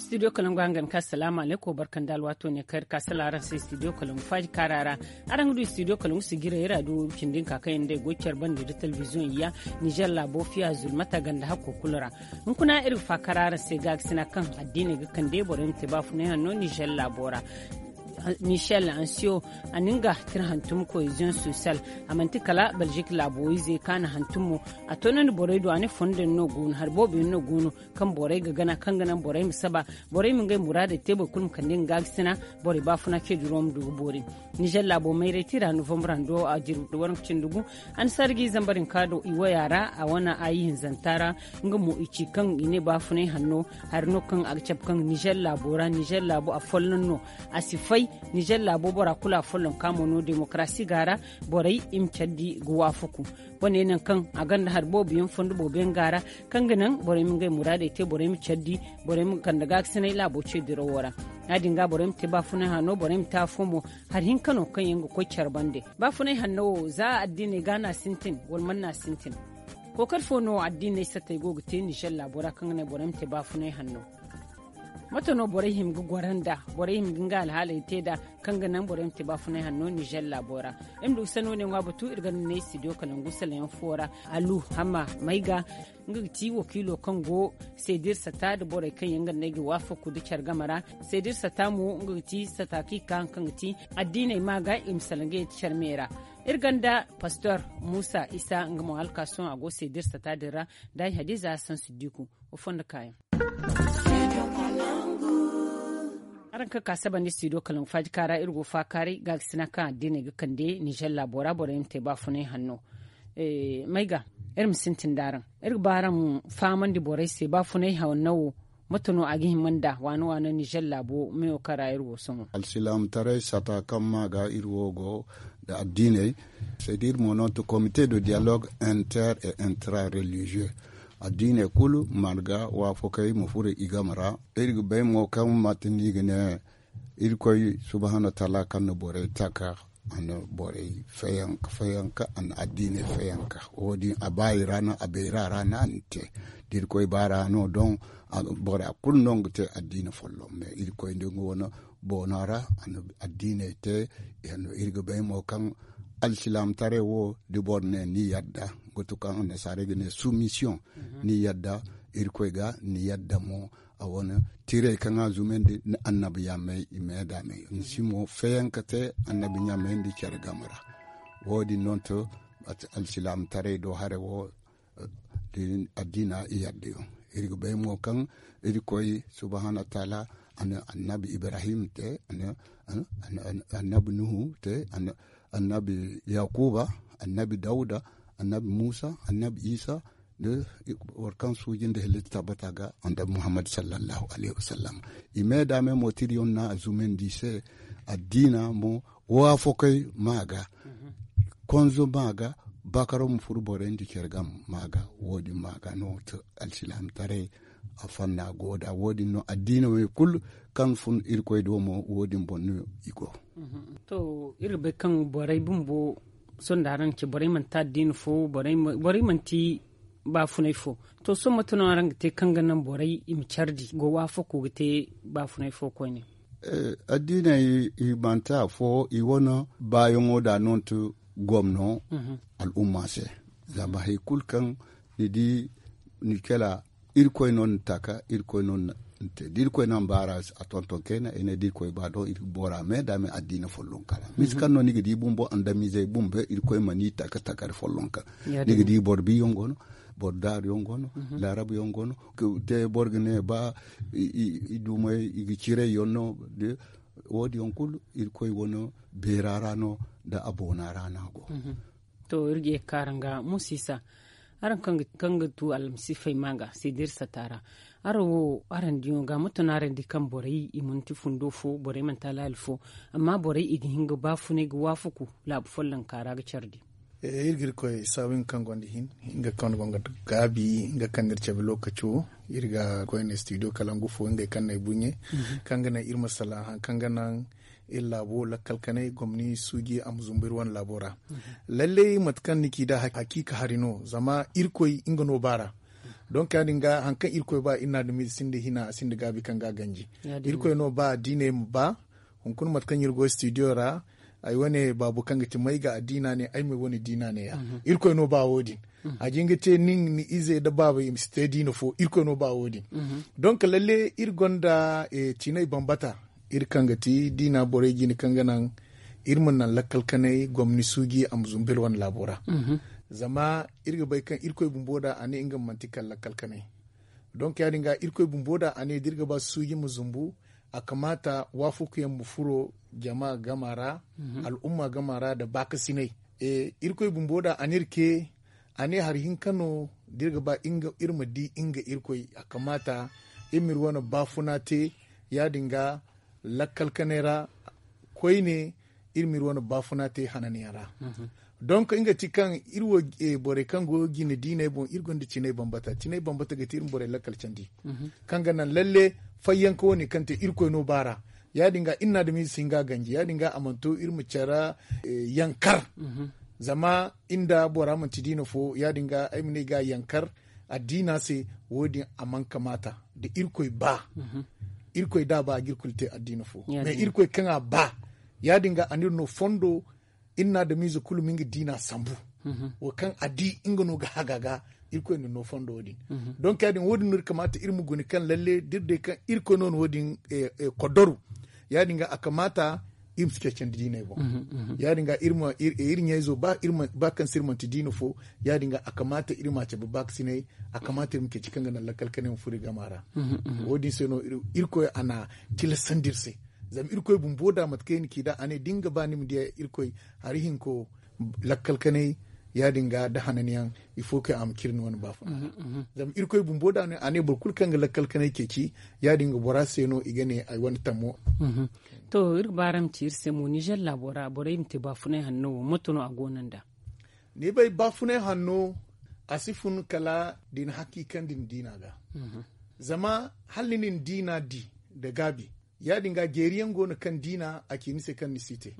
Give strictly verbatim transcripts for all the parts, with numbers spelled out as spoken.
Studio kalangu hangan ka salaamu alaykum barkan da alwaato ne kayar ka sala araŋ se studio kalangu faaji kaara ra. Araŋ ga du studio kalangu sijirey ra du cindi nka kaŋ yaŋ day goy care bande da telebiziyoŋ ya nizer laabo fiya zulmata ganda hakko kulu ra. Hunkuna iri ga faakar araŋ se gaagasina kaŋ addiiney ga kande borey ma te baafunay hanno nizer laabo ra. Michel ansiyo a na nga tira hantum koyziyoŋ sosiyal. A manti kala belgique laabo ize kaŋ a na hantum mo. A toonandi borey do a ne fondo yaŋ no go no hari boobo yaŋ no go no kaŋ borey ga gana kaŋ ga naŋ borey ma saba borey ma ngey muraadey te boro kulu ma kande nga gaagasina. Borey baafuna ce duro ma du ga boori. Nizer laabo mayray tira novembre hando a jiri da waranka cindi gu. A na sarji zambar hinka do i waya ra a wane ayi hinzanta ra. Nga mo i ci kaŋ i ne baafunay hanno hari no kaŋ a ga cabe kaŋ nizer laabo ra nizer laabo a folloŋ no. A si fay nizer laabo bora kulu a folloŋ ka mo no demokarasi ga ra. Borey i ma care di ga waafaku. Wane naŋ kaŋ a gonda hari boobo yaŋ fondo boobo yaŋ ga ra kaŋ ga naŋ borey ma ngey muraadey te borey ma care di borey ma kande gaagasina laabo ce dirawo ra. Ya- din ga borey ma te baafunay hanno borey ma te afo mo. Hari hinka no kaŋ yaŋ ga koy care bande. Baafunay hanno wo za addiiney ga no a sintin wala mana no a sintin? Kookari fo no addiiney sattey go ga te nizer laabo ra kaŋ ga naŋ borey ma te baafunay hanno? Mate no borey hima ga goro nd'a? Borey hima ga nga alhaaley te nd'a kaŋ ga naŋ borey ma te baafunay hanno nizer laabo ra. Iri ma du ga sanno ne ŋwa batu iri ga nda ne studio kalangu salayaŋ fo ra. Alu hamma may ga nga ga ti wakiilo kaŋ go seedir sata nda borey kaŋ yaŋ ga ne ay ga waafaku nda care game ra. Seedir sata mo nga ga ti sata kaŋ i ga ka haŋ kaŋ ga ti addiiney ma ga i ma salaŋ ga yeti care me ra. Iri gonda pastor muusa isa nga mo hala ka sohõ a go seedir sata din ra. Nda ay hadiza hassan siddiku. Wa fondo kaayaŋ. Araŋ kaŋ ka saba nda studio kalangu faajika ra iri go faakaaray gaagasina kaŋ addiiney ga kande nizer laabo ra borey ma te baafunay hanno. May ga iri ma sintin da araŋ iri ga ba araŋ fahamandi borey se baafunay hanno wo? Mate no a ga hima nda waana waana nizer laabo meyo kaŋ ra iri go sohõ? Alsilaamataray sata kaŋ ma ga iri wo go nda addiiney. Seedi iri mo no to komite de dialogue inter et intra religieux. Addiiney kulu marga waafakey ma furo i game ra. Iri ga bay mo kaŋ mate no i ga ne irkoy subhaanahu wataala kaŋ na borey taka a na borey fayanka fayanka a na addiiney fayanka. Wo- din a baayi ra no a bayra ra no a na te. Da irkoy baara no doŋ bora kulu no ga te addiina folloŋ me irkoy nda nga wane boona ra a na addiiney te. Iri ga bay mo kaŋ alsilaamataray wo da boro ne ni yadda ga to kaŋ annasaarey ga ne suumisiyoŋ. Ni yadda irkoy ga ni yadda mo a wane tiirey kaŋ a zumandi ni annabi yaamey i meeda me ni si mo feeyaŋ ka te annabi ɲaamey nda care game ra. Wo- din no to alsilaamataray do hare wo. Addiina i yadda yaŋ iri ga bay mo kaŋ irkoy subhaanahu wataala a na annabi ibrahim te, annabi nuhu te, annabi yakuba, annabi dawuda, annabi muusa, annabi isa, nda boro kaŋ suuji nda halitta tabbata ga annabi muhammad sallallahu alayhi wasallam. I meeda me mo tiriyaŋ no a zumandi i se. Addiina mo waafakey ma ga konzo ma ga bakaro ma furu borey nda care game ma ga. Wo- din ma ga no to alsilaamataray a fanna go da wo- din no addiina wey kulu kaŋ fun irkoy do mo wo- din boŋ no i go. To iri ga bay kaŋ borey bumbo sohõ da araŋ ga ci borey manti addiina fo borey manti baafunay fo. To sohõ mate no araŋ ga te kaŋ ga naŋ borey i ma care di go waafako ga te baafunay fo koyne? Addiiney i manti afo i wane baayaŋo da no nti gomno al'umma se. Zama hari kulu kaŋ ni di ni kala irkoy no ni taka irkoy no ni te da irkoy no a ma baara a tonton kayna i ne da irkoy ba don iri bora me da me addiina follonkara misi kaŋ no ni ga di bumbo andamizey bumbo irkoy ma ni taka takari follonka. Ni ga di boro biyaŋ go no, boro daaru yaŋ go no, laarabu yaŋ go no, te boro ga ne ba i dumey i ga ciray yaŋ no. Wo- din yaŋ kulu irkoy wane beera ra no nda a boona ra no a go. To iri ga ye ga ka araŋ ga musa isa araŋ kaŋ ga tu almasiifey ma ga seediri sata ra. Araŋ wo araŋ diyaŋo ga mate no araŋ di kaŋ borey i manti fundo fo borey manti alaali fo. Amma borey i ga hin ga baafunay ga waafaku laabu follonka ra ga care di. Iri ga irkoy saabu nga kaŋ gonda hin nga kaŋ gonda gaabi nga kaŋ no iri cabe lookaci wo. Iri ga koyne studio kalangu fo ngey kaŋ no ay buɲe kaŋ ga naŋ iri ma salaŋ hari kaŋ ga naŋ iri laabo lakkal kanay gomni suuji a ma zumbu iri wane laabo ra. Lallay mate kaŋ ni ci nd'a hakiika hari no zama irkoy nga no baara. Donk ya- din ga hari kaŋ irkoy ba iri na adamize sinda hina a sinda gaabi kaŋ ga a ganji. Irkoy no ba addiiney ma ba. Hunkuna mate kaŋ iri go studio ra, ay wane baabu kaŋ ga ti may ga addiina ne ay may wane diina ne ya. Irkoy no ba wo- din. A jin ga te nin ni ize nda baaba i ma si te diina fo. Irkoy no ba wo- din. Donk lalle iri gonda cinay bambata, iri kaŋ ga ti diina borey jine kaŋ ga naŋ iri ma naŋ lakkal kanay gomni suuji a ma zumbu iri wane laabo ra. Zama iri ga bay kaŋ irkoy bumbo da a ne nga ma manti kala lakkal kanay. Donk ya- din ga irkoy bumbo da a ne da iri ga ba suuji ma zumbu, a kamaata waafakuyaŋ ma furo jama gama ra, al'umma gama ra nda baakasinay. Irkoy bumbo da a ne iri ke, a ne hari hinka no da iri ga ba iri ma di nga irkoy, a kamaata iri ma iri wane baafuna te. Ya- din ga lakkal kanay ra koyne iri ma iri wane baafuna te hananyaŋ ra. Donk nga ti kaŋ iri wo borey kaŋ go jine diiney boŋ iri gonda cinay bambata cinay bambata ga ti iri ma borey lakkal candi, kaŋ ga naŋ lalle fayyanka wane kaŋ te irkoy no baara. Ya- din ga iri na adamize si hin ga a ganji ya- din ga a mana to iri ma care yankar. Zama iri nda bora manti diina fo ya- din ga ay ma ne ga yankar addiina se. Wo- din a mana kamaata da irkoy ba. Irkoy da a ba a ga iri kulu te addiina fo, mais irkoy kaŋ a ba ya- din ga a na iri no fondo. Iri na adamize kulu ma nga diina sambu. Wo kaŋ a di nga no ga haga ga, irkoy na no fondo wo- din. Donk ya- din wo- din no iri kamaata iri ma guna kaŋ lalle da iri day kaŋ irkoy no na wo- din koddaru. Ya- din ga a kamaata iri ma si ceecandi diiney boŋ. Ya- din ga iri ɲayzo ba kaŋ se iri manti diina fo, ya- din ga a kamaata iri ma a cabe baakasinay. A kamaata iri ma ceeci kaŋ ga naŋ lakkal kanay ma furo iri gama ra. Wo- din se no irkoy a na tilasandi iri se. Zama irkoy bumbo da mate kaŋ i na ci da a ne da ni ga ba ni ma diya irkoy hari hinko lakkal kanay. Ya- din ga da hananyaŋ ifo kaŋ a ma cire ni wane baafuna ra. Zama irkoy bumbo da a ne boro kulu kaŋ ga lakkal kanay ceeci, ya- din ga bora se no i ga ne ay wane tammo. To iri ga ba araŋ ma ci iri se mo nizer laabo ra borey ma te baafunay hanno wo moto no a go no nda? Ni bay baafunay hanno a si fun kala da i na hakiikandi ni diina ga. Zama hala ni na ni diina di nda gaabi, ya- din ga jeeri yaŋ go no kaŋ diina a ci ni se kaŋ ni si te.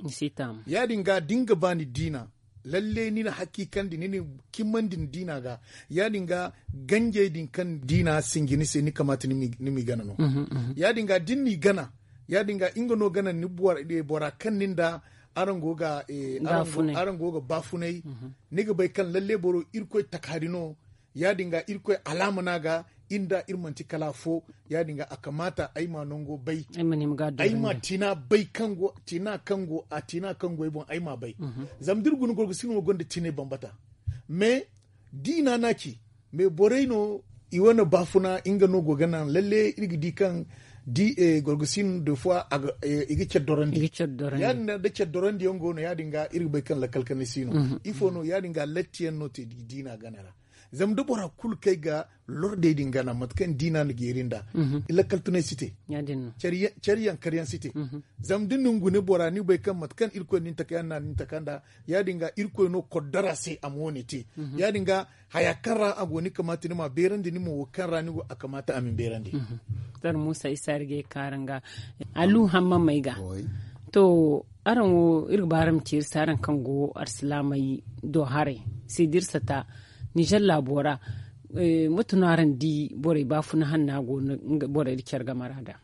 Ya- din ga da ni ga ba ni diina, lalle ni na hakiikandi ni na cimandi ni diina ga. Ya- din ga ganjey din kaŋ diina sinji ni se ni kamaata ni m'i gana no. Ya- din ga da ni n'i gana, ya- din ga nga no gana ni bora kaŋ ni nda araŋ go ga baafunay. Ni ga bay kaŋ lalle boro irkoy takahari no. Ya- din ga irkoy alaama no a ga iri nda iri manti kala afo. Ya- din ga a kamaata ay ma nango bay. Ay ma tina bay kaŋ go a tina kaŋ go ay boŋ ay ma bay. Zama da iri guna gorgosino wo gonda tinay bambata. Mais diina no a ci. Mais borey no i wane baafuna nga no go ga naŋ lalle iri ga di kaŋ di gorgosin de fois i ga care dorandi. Ya- din da care dorandi yaŋ go no ya- din ga iri ga bay kaŋ lakkal kanay si no. Ifo no ya- din ga latti yaŋ no te diina gana ra. Zama da bora kulu kay ga lordey din gana mate kaŋ diina na jeeri nda lakkal tunay si te. Care yaŋ kar yaŋ si te. Zama da ni na ni gune bora ni bay kaŋ mate kaŋ irkoy na ni taka yaŋ na ni taka nda ya- din ga irkoy no koddara se a ma wo- ne te. Ya- din ga haya kaŋ ra a go ni kamaata ni ma beerandi ni ma wo kaŋ ra ni go a kamaata a ma ni beerandi. Zara muusa isa iri ga ye kaara nga alu hamma may ga. To araŋ wo iri ga ba araŋ ma ci iri se araŋ kaŋ go alsilaamey do haray se da iri sata nizer laabo ra. Mate no araŋ di borey baafuna hanna go no borey da care game ra da?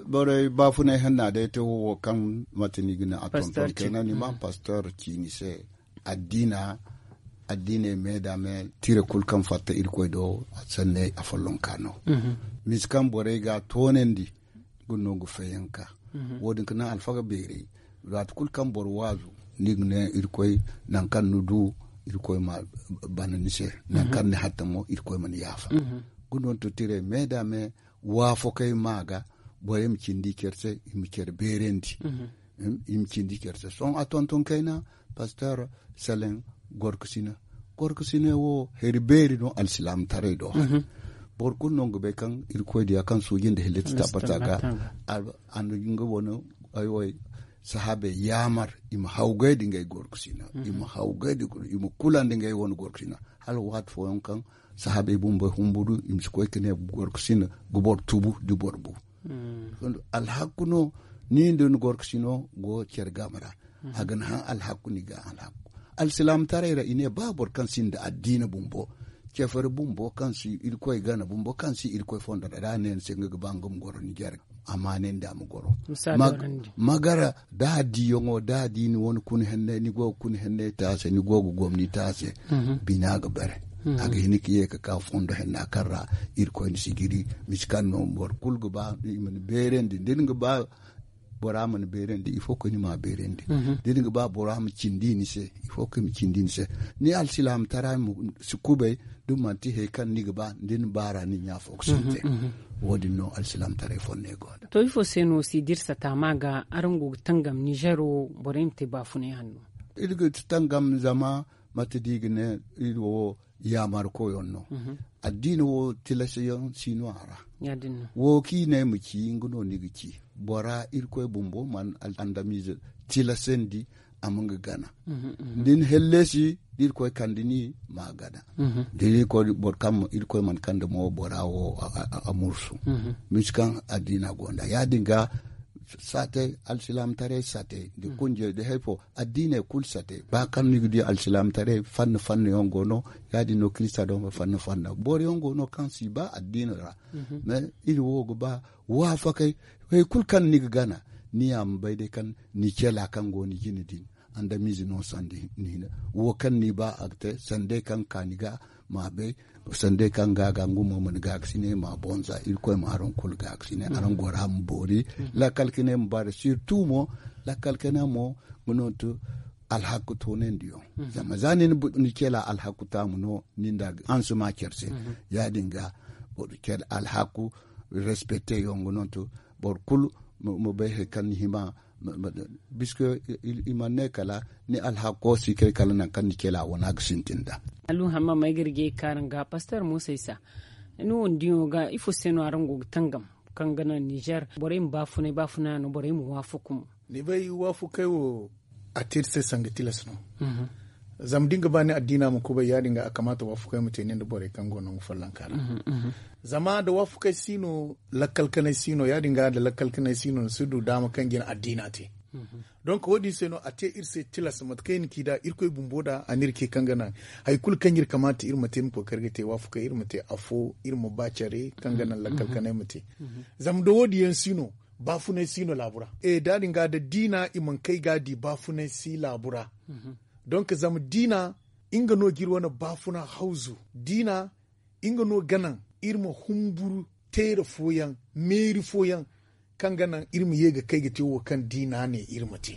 Borey baafunay hanna day te wo kaŋ mate ni ga ne a tonton kayna ni ma pastor ci ni se. Addiina addiiney me da me tire kulu kaŋ fatta irkoy do sanney afollonka no. Misi kaŋ borey ga a toonandi ga no ga fayyanka. Wo- din ga naŋ alfaga beerey waati kulu kaŋ boro waazu ni ga ne irkoy nangu kaŋ ni du irkoy ma bana ni se. Nangu kaŋ ni hatta mo irkoy ma ni yaafa. Ga no to tire me da me waafakey ma ga borey ma cindi care se i ma care beerandi. I ma cindi care se sohõ a tonton kayna pastor seleŋ gorkasina. Gorkasina wo hari beeri no alsilaamataray do. Boro kulu no ga bay kaŋ irkoy diya kaŋ suuji nda hillati tabbata ga. A na nga wane ay wo sahaabey yaamar i ma hawgay da ngey gorkasina i ma hawgay da i ma kula nda ngey wane gorkasina. Hala waati fooyaŋ kaŋ sahaabey bumbey humburu i ma si koy ka ne gorkasina ga boro tubu da boro bu. Alhakku no ni nda ni gorkasino go care game ra. A ga ni haŋ alhakku ni ga alhakku alsilaamataray ra i ne ba boro kaŋ sinda addiina bumbo cefari bumbo kaŋ si irkoy gana bumbo kaŋ si irkoy fondo ra da a ne ni se nga ga ba nga ma goro ni jare. Amma ne ni da a ma goro. Magara da a diyaŋo da a di ni wane kuna henney ni go ga kuna henney te a se ni go ga gomni te a se. Bina ga bare a ga hin ka ye ga ka fondo henna kaŋ ra irkoy ni si jiri. Misi kaŋ no boro kulu ga ba i ma ni beerandi da ni ga ba bora ma ni beerandi ifo ka ni ma beerandi. Da ni ga ba bora ma cindi ni se ifo ka i ma cindi ni se. Ni alsilaamataray ma si kubay da manti hari kaŋ ni ga ba da ni baara ni ɲa fo ga sintin. Wo- din no alsilaamataray fonney go nda. To ifo se no si da iri sata ma ga araŋ go ga tangam nizer wo borey ma te baafunay hanno? Iri ga tangam zama mate da i ga ne iri wo yaamar koyaŋ no. Addiina wo tilas yaŋ si no a ra. Wo kaŋ i ne ay ma ci nga no ni ga ci. Bora irkoy bumbo mana andamize tilasandi a ma nga gana. Da ni hellesi da irkoy kande ni ma gana. Da irkoy boro kaŋ irkoy mana kande mo bora wo a mursu. Misi kaŋ addiina gonda ya- din ga saate alsilaamataray saate da kunjey da hayfo addiiney kulu saate ba kaŋ ni ga di alsilaamataray fanna fanna yaŋ go no. Ya- din no kirista daŋ fanna fanna boro yaŋ go no kaŋ si ba addiina ra. Mais iri wo ga ba waafakay hari kulu kaŋ ni ga gana ni ya ma bay day kaŋ ni cela kaŋ go ni jine din andamize no sanda ni hina wo kaŋ ni ba a ga te sanda day kaŋ ga ka ni ga ma bay sanda day kaŋ ga ga nga mo mana ga ga sine ma bonza irkoy ma araŋ kulu ga ga sine araŋ gora ma boori. Lakkal kine ma bara sirtu mo lakkal kine mo nga no to alhaku toonandiyaŋ. Zama za ni na ni cela alhaku taamu no ni nda hanse ma care se ya- din ga boro care alhaku respecte yaŋ nga no to boro kulu ma bay hari kaŋ ni hima. Biske i mana ne kala ni alhako si kay kala nangu kaŋ ni cela wana ga sintin da. Alluhamma ma ay ga rijay kaaraŋ ga pastor musa isa ni wo ni diyo ga ifo se no araŋ go ga tangam kaŋ ga naŋ nizer borey ma baafunay baafuna no borey ma waafaku mo? Ni bay waafakay wo a te iri se sanga tilas no. Zama da ni ga ba ni addiina ma kubay ya- din ga a kamaata waafakay ma te ni nda borey kaŋ go nangu follonka ra. Zama nda waafakay si no lakkal kanay si no ya- din ga nda lakkal kanay si no ni si du daama kaŋ ga ni addiina te. Donk wo- din se no a te iri se tilas mate kaŋ iri na ci nd'a irkoy bumbo nd'a a na iri ce kaŋ ga naŋ hari kulu kaŋ iri kamaata iri ma te iri ma kookari ga te waafakay iri ma te afo iri ma ba care kaŋ ga naŋ lakkal kanay ma te. Zama nda wo- din yaŋ si no baafunay si no laabu ra. Da- din ga nda diina i mana kay ga a di baafunay si laabu ra. Donk zama diina nga no ga iri wane baafuna hawzu diina nga no ga naŋ iri ma humburu teera fooyaŋ meeri fooyaŋ kaŋ ga naŋ iri ma ye ga kay ga te wo kaŋ diina ne iri ma te.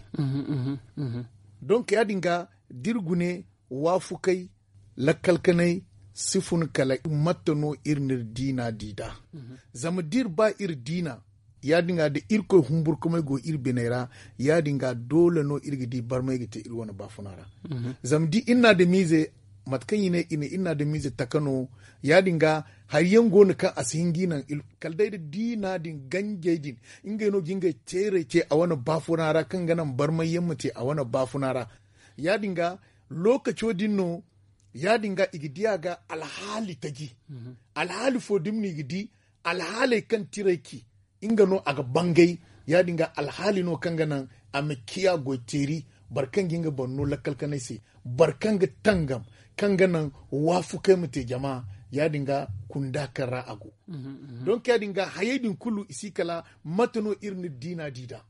Donk ya- din ga da iri gune waafukay lakkal kanay si fun kala matta no iri na iri diina di nd'a. Zama da iri ba iri diina ya- din ga da irkoy humburkumay go iri biney ra ya- din ga doole no iri ga di barmay ga te iri wane baafuna ra. Zama da iri na adamiize mate kaŋ i ne i na iri na adamiize taka no ya- din ga hari yaŋ go no kaŋ a si hin ga i naŋ kala day da diina din ganjey din ngey no ga ngey teerey ce a wane baafuna ra kaŋ ga naŋ barmay yaŋ ma te a wane baafuna ra. Ya- din ga lookaco din no ya- din ga i ga di a ga alhaali taji. Alhaali fo da ni ma no i ga di alhaaley kaŋ tiray ci nga no a ga bangay. Ya- din ga alhaali no kaŋ ga naŋ a ma ciya goy teeri boro kaŋ ga nga boro no lakkal kanay se boro kaŋ ga tangam kaŋ ga naŋ waafukay ma te jama. Ya- din ga kunda kaŋ ra a go. Donk ya- din ga hayey din kulu i si kala mate no iri na diina di nd'a.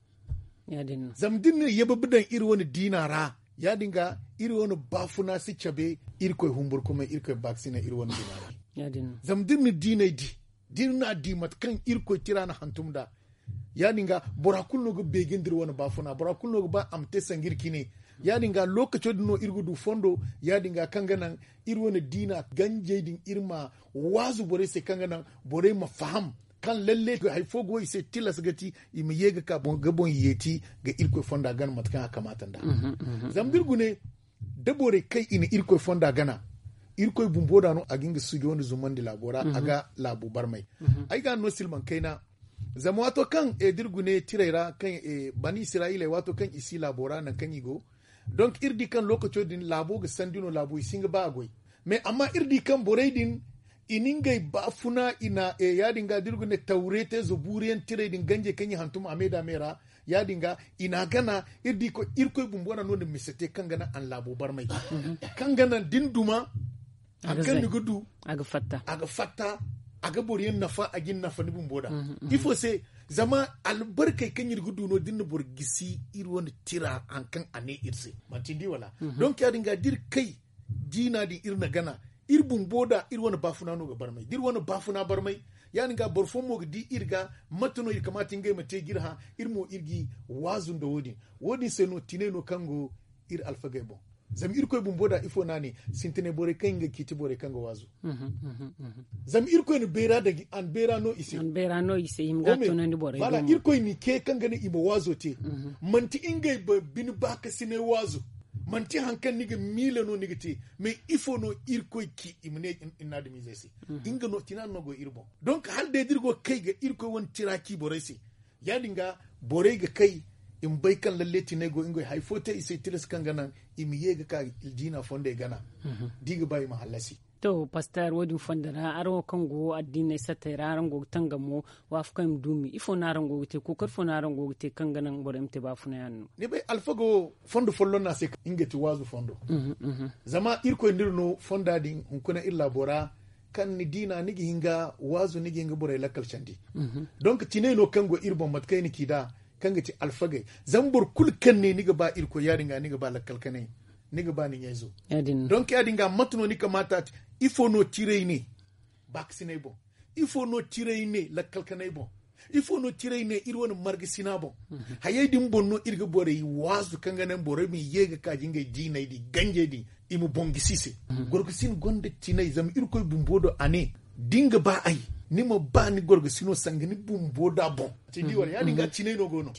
Zama da iri na yababi daŋ iri wane diina ra ya- din ga iri wane baafuna si cabe irkoy humburkumay irkoy baakasinay iri wane diina ra. Zama da iri na diinay di da iri na a di mate kaŋ irkoy tira na hantum nd'a ya- din ga bora kulu no ga beeje nda iri wane baafuna bora kulu no ga ba a ma te sanga iri cine. Ya- din ga lookaco din no iri ga du fondo ya- din ga kaŋ ga naŋ iri wane diina ganjey din iri ma waazu borey se kaŋ ga naŋ borey ma faham kaŋ lalle hari fo go i se tilas ga ti i ma ye ga ka ga boŋ yeeti ga irkoy fonda gana mate kaŋ a kamaata nd'a. Zama da iri gune da borey kaŋ i na irkoy fonda gana irkoy bumbo da no a ga nga sujo nda zumandi laabo ra a ga laabo barmay. Ay ga no silmaŋ kayna zama waato kaŋ da iri gune tirey ra kaŋ bani israyiley waato kaŋ i si laabo ra nangu kaŋ i go donk iri di kaŋ lookaco din laabo ga sandi no laabo i si hin ga ba a goy. Mais amma iri di kaŋ borey din i na ngey baafuna i na ya- din ga da iri ga ne tawreete zabuuriyaŋ tirey din ganjey kaŋ i hantum a me da me ra ya- din ga i na a gana iri di koy irkoy bumbo na no- din mise te kaŋ ga naŋ a na laabo barmay kaŋ ga naŋ da ni duma Hari kaŋ ni ga du a ga fatta a ga boro yaŋ nafa a ga ni nafa ni bumbo da. Ifo se? Zama albarkey kaŋ iri ga du no da iri na boro gisi iri wane tira hari kaŋ a ne iri se. Manti ni di wala? Donk ya- din ga da iri kay diina din iri na gana iri bumbo da iri wane baafuna no ga barmay da iri wane baafuna barmay. Ya- din ga boro fooyaŋ mo ga di iri ga mate no iri kamaata ngey ma te ga iri hã. Iri mo iri ga i waazu nda wo- din. Wo- din se no tinay no kaŋ go iri alfagey boŋ. Zama irkoy bumbo da ifo no a ne? Sintinay borey kaŋ ngey ga ciiti borey kaŋ ga waazu. Zama irkoy na beera dagi a na beera no i se. Irkoy na i ce kaŋ ga ne i ma waazo te. Manti ngey ba bine baakasinay waazo. Manti hari kaŋ ni ga miila no ni ga te. Mais ifo no irkoy ci i ma ne? Ni na adamizey se nga no tina no go iri boŋ. Donk hala day da iri go ga kay ga irkoy wane tira ci borey se. Ya- din ga borey ga kay i ma bay kaŋ lalle tinay go ngey hari fo te i se tilas kaŋ ga naŋ i ma ye ga ka diina fondey gana. Da i ga ba i ma hallasi. To paster wo- din fondo ra araŋ wo kaŋ go addiiney sattey ra araŋ go ga tangamo waafakaŋ i ma duumi ifo no araŋ go ga te kookari fo no araŋ go ga te kaŋ ga naŋ borey ma te baafunayaŋ no? Ni bay alfaga wo fondo folloŋ no a se kaŋ nga ti waazu fondo. Zama irkoy no iri no fonda din hunkuna iri laabo ra. Kaŋ ni diina ni ga hin ga waazu ni ga hin ga borey lakkal candi. Donk tinay no kaŋ go iri boŋ mate kaŋ ay na ci nd'a kaŋ ga ti alfagey. Zama boro kulu kaŋ ne ni ga ba irkoy ya- din ga ni ga ba lakkal kanay ni ga ba ni ɲayzo. Donk ya- din ga mate no ni kamaata te? Ifo no tiray ne baakasinay boŋ? Ifo no tiray ne lakkal kanay boŋ? Ifo no tiray ne iri wane margasina boŋ? Hayey din boŋ no iri ga borey waazu kaŋ ga naŋ borey ma ye ga ka ga ngey diinay din ganjey din i ma boŋ gisi i se. Gorgasin gonda tinay zama irkoy bumbo do a ne da ni ga ba ay ni ma ba ni gorgasino sanga ni bumbo da boŋ. Te ni di wala ya- din ga tinay no go no.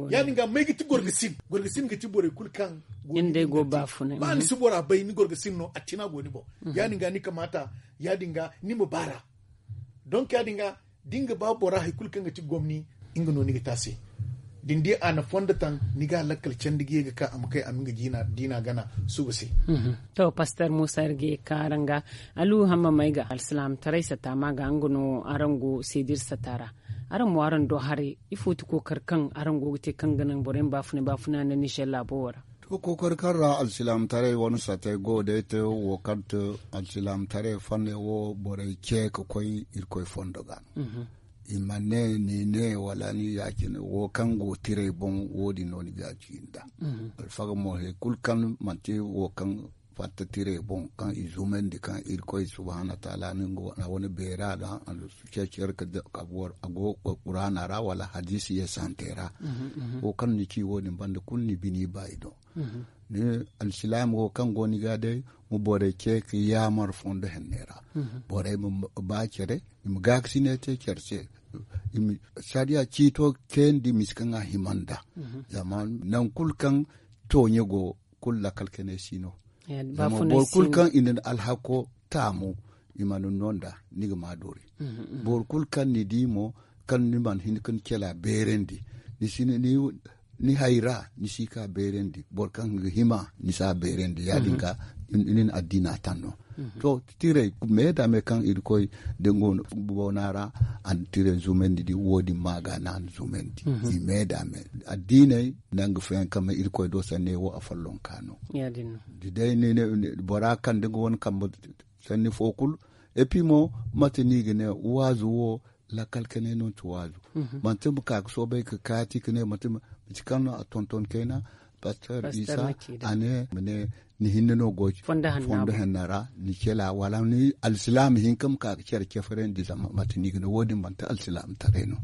Ya- din ga may ga ti gorgasin gorgasin ga ti borey kulu kaŋ go ni bumbo da te. Ba ni si bora bay ni gorgasin no a tina go ni boŋ. Ya- din ga ni kamaata ya- din ga ni ma baara. Donk ya- din ga da ni ga ba bora hari kulu kaŋ ga ti gomni nga no ni ga te a se. Da ni di a na fondo taŋ ni ga a lakkal candi ga ye ga ka a ma kay a ma nga diina gana suba se. To paster muusa iri ga ye ga ka araŋ ga alu hamma may ga alsilaamataray sata ma ga nga no araŋ go seediri sata ra. Araŋ mo araŋ do haray ifo ti kookari kaŋ araŋ go ga te kaŋ ga naŋ borey ma baafuna baafuna nda nizer laabo wo ra? To kookari kaŋ ra alsilaamataray wane satey go day te wo kaŋ te alsilaamataray fanney wo borey ce ga koy irkoy fondo ga. I ma ne ni ne wala ni ya- cine wo kaŋ go tiray boŋ wo- din no ni ga ci nd'a. Alfaga mo hari kulu kaŋ manti wo kaŋ fatta tiray boŋ kaŋ i zumandi kaŋ irkoy subhaanahu wataala no nga wane beera ga a na ceeci yar ka go quraana ra wala hadiisi yeesantey ra. Wo kaŋ ni ci wo- din banda kulu ni bini ba i do. Ni alsilaama wo kaŋ go ni ga day ma borey ce ka yaamar fondo henney ra. Borey ma ba care i ma gaakasinay te care se. Sariya ciito kayandi misa kaŋ a hima nd'a. Zama nangu kulu kaŋ tooɲe go kulu lakkal kanay si no. Zama boro kulu kaŋ i na ni alhako taamu i mana ni no nd'a ni ga ma doori. Boro kulu kaŋ ni di mo kaŋ ni mana hin ka ni cela beerandi ni si ni hayra ni si ka beerandi boro kaŋ ga hima ni si a beerandi ya- din ga ni na addiina taŋ no. To tiray me da me kaŋ irkoy da nga boona ra a na tiray zumandi di wo- din ma ga no a na zumandi i me da me addiinay nanga fayanka ma irkoy do sanne wo a follonka no. Da day bora kaŋ da nga wane kambe sanni fo kulu epi mo mate no i ga ne waazu wo lakkal kanay no ti waazu. Manti ma ka ga soobay ga kaati ga ne manti kaŋ no a tonton kayna pastor isa a ne ma ne ni hinne no go fondo henna ra ni cela wala ni alsilaama hinka ma ka ga care ceferandi zama mate no i ga ne wo- din manti alsilaama taray no.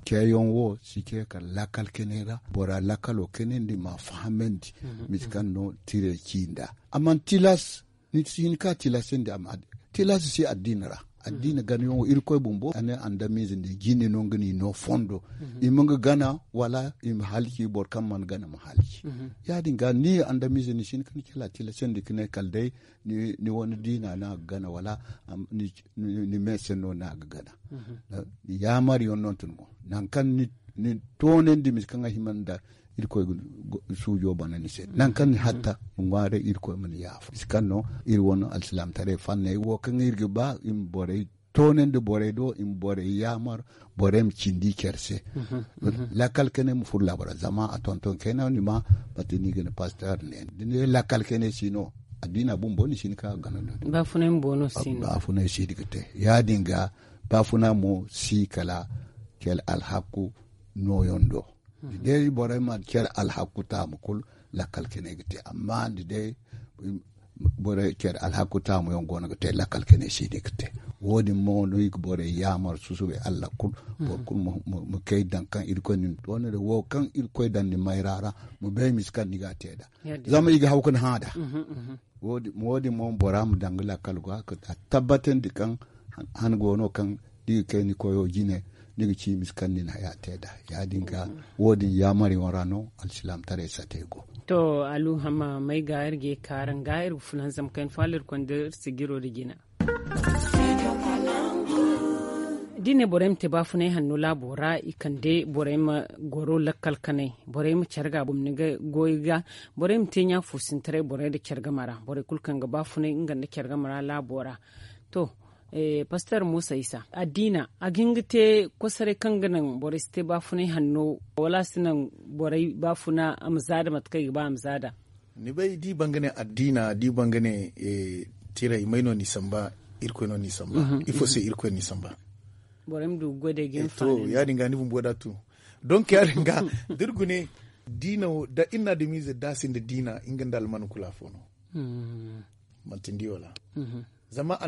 Ceeyaŋ wo si ce kala lakkal kanay ra bora lakkalo kanandi ma fahamandi mate kaŋ no tire ci nd'a a mana tilas ni si hin ka tilasandi a ma tilas si addiina ra. Addiina ganayaŋo irkoy bumbo a ne andamize nda jinde no nga ni no fondo i ma nga gana wala i ma halci boro kaŋ mana gana ma halci. Ya- din ga ni andamize ni si hin ka ni kala tilasandi ka ne kala day ni wane diina no a ga gana wala ni meese no no a ga gana. Yaamar yaŋ no tun mo nangu kaŋ ni toonandi mate kaŋ a hima nda irkoy suujo bana ni se nangu kaŋ ni hatta ŋwaaray irkoy ma ni yaafa mate kaŋ no iri wane alsilaamataray fanney wo kaŋ iri ga ba i ma borey toonandi borey do i ma borey yaamar borey ma cindi care se. Lakkal kanay ma furo laabo ra zama a tonton kayna ni ma mate no i ga ne pastor ne da ne lakkal kanay si no Addiina bumbo ni si hin ka gana no. Baafunay mo no si no. Baafunay si hin ga te. Ya- din ga baafuna mo si kala care alhakku nooyaŋ do. Da day borey mana care alhakku taamu kulu, lakkal kanay ga te. Amma da day care alhakku taamu yaŋ go no ga te, lakkal kanay si hin ga te. Wo- din mo no i ga borey yaamar susubay allah kulu. Boro kulu ma kay daŋ kaŋ irkoy na ni toona da wo kaŋ irkoy daŋ ni mayra ra, ma bay misa kaŋ ni ga a te nd'a. Zama i ga haw ga ni hã nd'a. Wo- din mo bora ma daŋ ga lakkal go a tabbatandi kaŋ han go no kaŋ da i ga kay ni koyo jine, ni ga ci misa kaŋ ni na haya te nd'a. Ya- din ga wo- din yaamariyaŋ ra no alsilaamataray sate go. To, aluhama may ga iri ga ye ka araŋ ga iri ga fulanzam kayna fo hala iri konda iri sijiro nda jina. Da i ne borey ma te baafunay hanno laabo ra, i kande borey ma goro lakkal kanay, borey ma care ga bumni ga goy ga, borey ma te ɲa fo sintaray borey nda care game ra, borey kulu kaŋ ga baafunay nga nda care game ra laabo ra. To, pastor musa isa addiina a ga hin ga te kosoray kaŋ ga naŋ borey si te baafunay hanno, wala a si naŋ borey baafuna a ma zaada mate kaŋ i ga ba a ma zaada? Ni bay da i ban ga ne addiina da i ban ga ne tiray may no ni samba? Irkoy no ni samba. Ifo se irkoy ni samba? Borey ma du ga goy day ga hin faani. Ya- din ga ni bumbo da a tun. Donk ya- din ga da iri gune diina wo da iri na adamize da a sinda diina nga nda alman kulu afo no. Manti ni di wala? Zama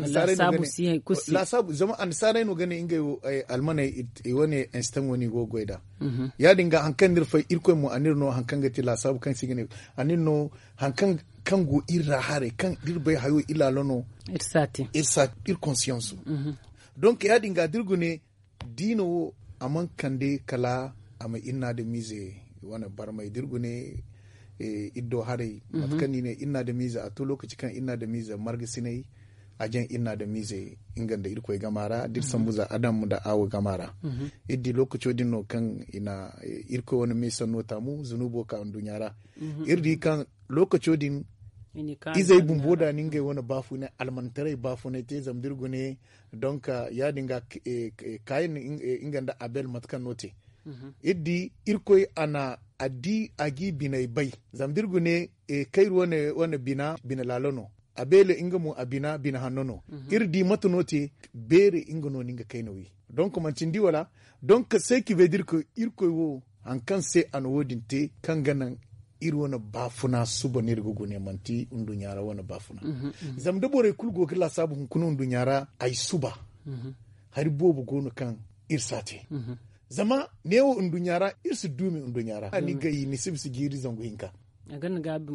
annasaarey no ga ne ngey wo almaney i wane instant wo no i go ga goy nd'a. Ya- din ga hari kaŋ no iri fay irkoy mo a n'iri no hari kaŋ ga te laasaabu kaŋ se i ga ne a n'iri no hari kaŋ go iri ra haray kaŋ da iri bay hayo iri laalo no. Iri saati iri konsiyansu. Donk ya- din ga da iri gune diina wo a mana kande kala a ma iri na adamize wane barmay da iri gune iri do haray mate kaŋ no i ne iri na adamize a to lokaci kaŋ iri na adamize margasinay a jaŋ iri na adamize nga nda irkoy gama ra da iri sambu za adam nda awo gama ra. Iri di lokaco din no kaŋ i na irkoy wane meesanno taamu zunubo ka nduɲɲa ra. Iri di kaŋ lokaco din izey bumbo da ni ngey wane baafunay almantaray baafunay te zama da iri gune. Donk ya- din ga kayin nga nda abel mate kaŋ no te iri di irkoy a na a di a g'i biney bay. Zama da iri gune kayri wane bina bina laalo no. Abel nga mo a bina bina hanno no. Iri di mate no te beere nga no ni nga kayna wi. Donk manti ni di wala? Donk se ki bay da irkoy wo hari kaŋ se a na wo- din te kaŋ ga naŋ iri wane baafuna suba no iri ga gune manti nduɲɲa ra wane baafuna. Zama da borey kulu go ga laasaabu hunkuna nduɲɲa ra ay suba hari boobo go no kaŋ iri si a te. Zama neewo nduɲɲa ra iri si duumi nduɲɲa ra ni gay ni si bisa jiiri zangu hinka.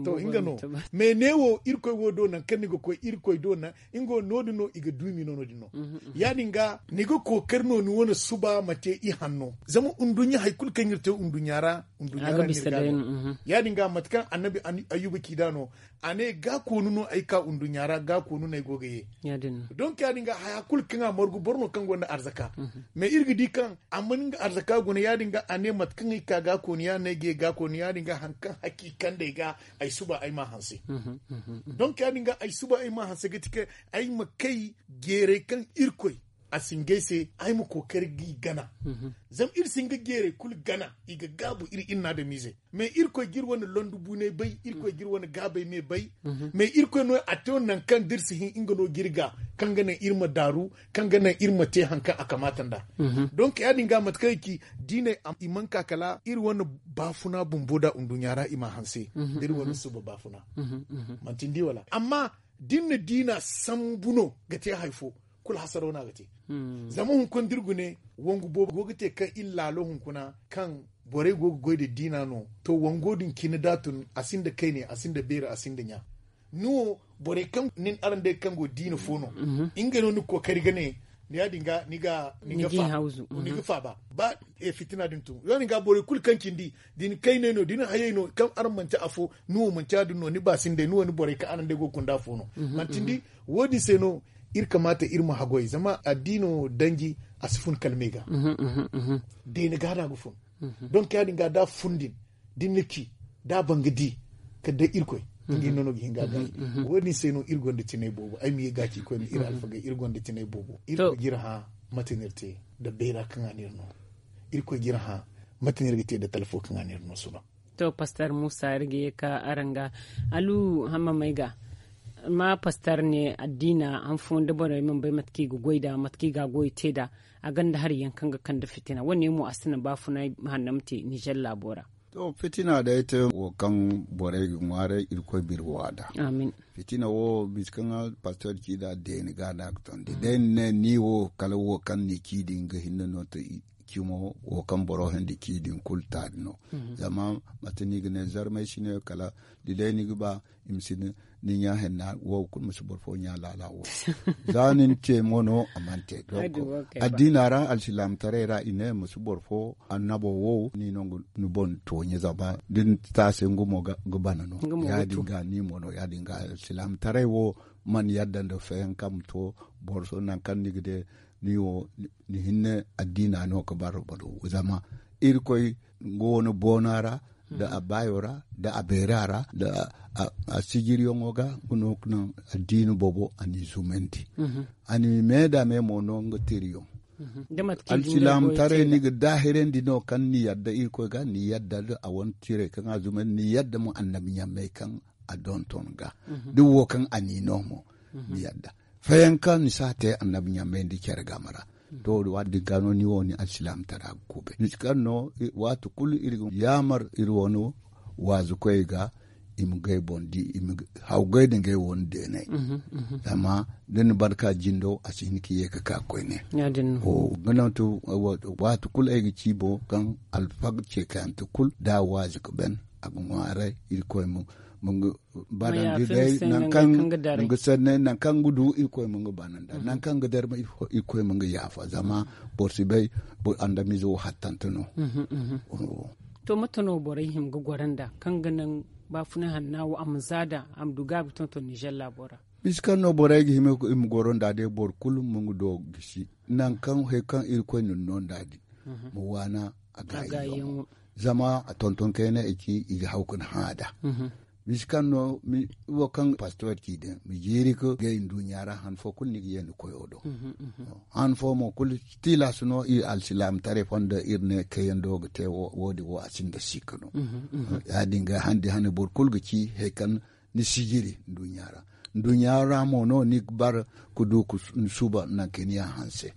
To nga no. Mais neewo irkoy wo do nangu kaŋ ni ga koy irkoy do nga wo no- din no i ga duumi no- din no. Ya- din ga ni ga kookari no ni wane suba ma te i hanno zama nduɲɲa hari kulu kaŋ iri te nduɲɲa ra nduɲɲa ra no iri ga no. Ya- din ga mate kaŋ annabi ayyuba ci nd'a no a ne gaakoonu no ay ka nduɲɲa ra gaakoonu no ay go ga ye. Donk ya- din ga haya kulu kaŋ a margu boro no kaŋ gonda arzaka. Mais iri ga di kaŋ a mana nga arzaka guna ya- din ga a ne mate kaŋ ay ka gaakoonu ya- din no ay ga ye gaakoonu ya- din ga hari kaŋ hakki kande ay ga ay suba ay m'a hanse. Donk ya- din ga ay suba ay m'a hanse ga ti kaŋ ay ma kay jeeray kaŋ irkoy a si ngey se ay ma kookari g'i gana. Zama iri si hin ga jeeray kulu gana i ga gaabu iri iri na adamize. Mais irkoy ga iri wane londu buunay bay irkoy ga iri wane gaabay me bay. Mais irkoy no a te nangu kaŋ da iri si hin nga no ga iri ga kaŋ ga naŋ iri ma daaru kaŋ ga naŋ iri ma te hari kaŋ a kamaata nd'a. Donk ya- din ga mate kaŋ ay ci diinay i mana ka kala iri wane baafuna bumbo da nduɲɲa ra i m'a hanse da iri wane suba baafuna. Manti ni di wala amma da iri na diina sambu no ga te hari fo kulu hasaro no a ga te. Zama hunkuna da iri gune wangu boobo go ga te kaŋ iri laalo hunkuna kaŋ borey go ga goy nda diina no to wango din cine da a tun a sinda kayne a sinda beeri a sinda ɲa. Ni wo borey kaŋ nin araŋ day kaŋ go diina fo no ngey no ni ga kookari ga ne. Ya- din ga ni ga ni ga faaba ba fitina din tun ya- din ga borey kulu kaŋ cindi da ni kayney no da ni hayey no kaŋ araŋ manti afo ni wo manti ya- din no ni baasinday ni wo ni borey kaŋ araŋ day go ga gunda afo no. Manti ni di wo- din se no iri kamaata iri ma haggoy zama addiino danji a si fun kala me ga. Deene ga no a ga fun. Donk ya- din ga da a fun din da ni na ci da a ban ga di kala day irkoy ngey no no ga hin ga a gaayi. Wo- din se no iri gonda tinay boobo ay ma ye ga ci koyne iri alfagey iri gonda tinay boobo irkoy ga iri hã mate no iri te nda bayra kaŋ a n'iri no. Irkoy ga iri hã mate no iri ga te nda talfo kaŋ a n'iri no suba. To pastor muusa iri ga ye ka araŋ ga alu hamma may ga Amma pastor ne addiina han fooyaŋ da borey mana bay mate kaŋ i ga goy nd'a mate kaŋ i ga a goy te nd'a, a gonda hari yaŋ kaŋ ga kande fitina wo- ne mo a si naŋ baafunay hanno ma te nizer laabo ra. To fitina day te wo kaŋ borey ga ŋwaaray irkoy biri waada. Fitina wo bisa kaŋ pastor ci nd'a deeni ga no a ga tondi day ni ne ni wo kala wo kaŋ ni ci din ga hinne no te. Cimo wo kaŋ boro handi ci din kulu taari no. Zama mate ni ga ne zarmay si ne kala da day ni ga ba i ma si ni ɲa henna wo kulu ma si boro fo ɲa laala wo. Za ni na ce mo no a mana te. Addiina ra alsilaamataray ra i ne ma si boro fo annabo wo ni no ga ni boŋ tooɲe zama da ni taase nga mo ga bana no. Ya- din ga ni mo no ya- din ga alsilaamataray wo mana yadda nda feeyaŋ kaŋ ma to boro so nangu kaŋ ni ga de ni wo ni hinne addiina no ga bara boro zama irkoy nga wane boona ra nda a baayo ra nda a beera ra nda a sijiriyaŋo ga nga no ga naŋ addiina boobo a n'i zumandi. A n'i me nda me mo no nga tiriyaŋ. Alsilaamataray ni ga daahirandi no kaŋ ni yadda irkoy ga ni yadda nda a wane tiray kaŋ a zumandi ni yadda mo annabi ɲammey kaŋ a donton ga da wo kaŋ a n'i no mo ni yadda. Fayanka ni si a te annabi ɲammey nda care game ra. To waati din ga no ni wo ni alsilaamataray a ga kube ni si kaŋ no waati kulu iri ga yaamar iri wane waazukoyey ga i ma gay boŋ di i ma hawgay nda ngey wo ni deeney. Zama da ni barka jindo a si hin ka ye ga ka koyne. Ga naŋ to waati kulu ay ga ci boŋ kaŋ alfag ceekayante kulu da a waazi ga ban a ga ŋwaaray irkoy ma nga barandi day nankaŋ nga sanney nankaŋ nga du irkoy ma nga bananda nankaŋ nga darma irkoy ma nga yaafa zama boro si bay andamize wo hattante no. To mate no borey hima ga goro nda kaŋ ga naŋ baafuna hanna wo a ma za da a ma du gaabi tonton nizer laabo ra? Bisa kaŋ no borey ga hima i ma goro nda day boro kulu ma nga do gisi nankaŋ hari kaŋ irkoy na ni no nda din ma waana a gaayi yaŋo. Zama a tonton kayna i ci i ga haw ka ni hã da. Bisa kaŋ no wo kaŋ pastor ci din ma jiiri ga gay nduɲɲa ra han fo kulu ni ga ye ni koyo do. Han fo mo kulu tilas no i alsilaamataray fondo iri ne kayando ga te wo- din wo a sinda sikka no. Ya- din ga handi hane boro kulu ga ci hari kaŋ ni sijiri nduɲɲa ra. Nduɲɲa ra mo no ni ga bar ka du ka ni suba nangu kaŋ ni yaŋ hanse.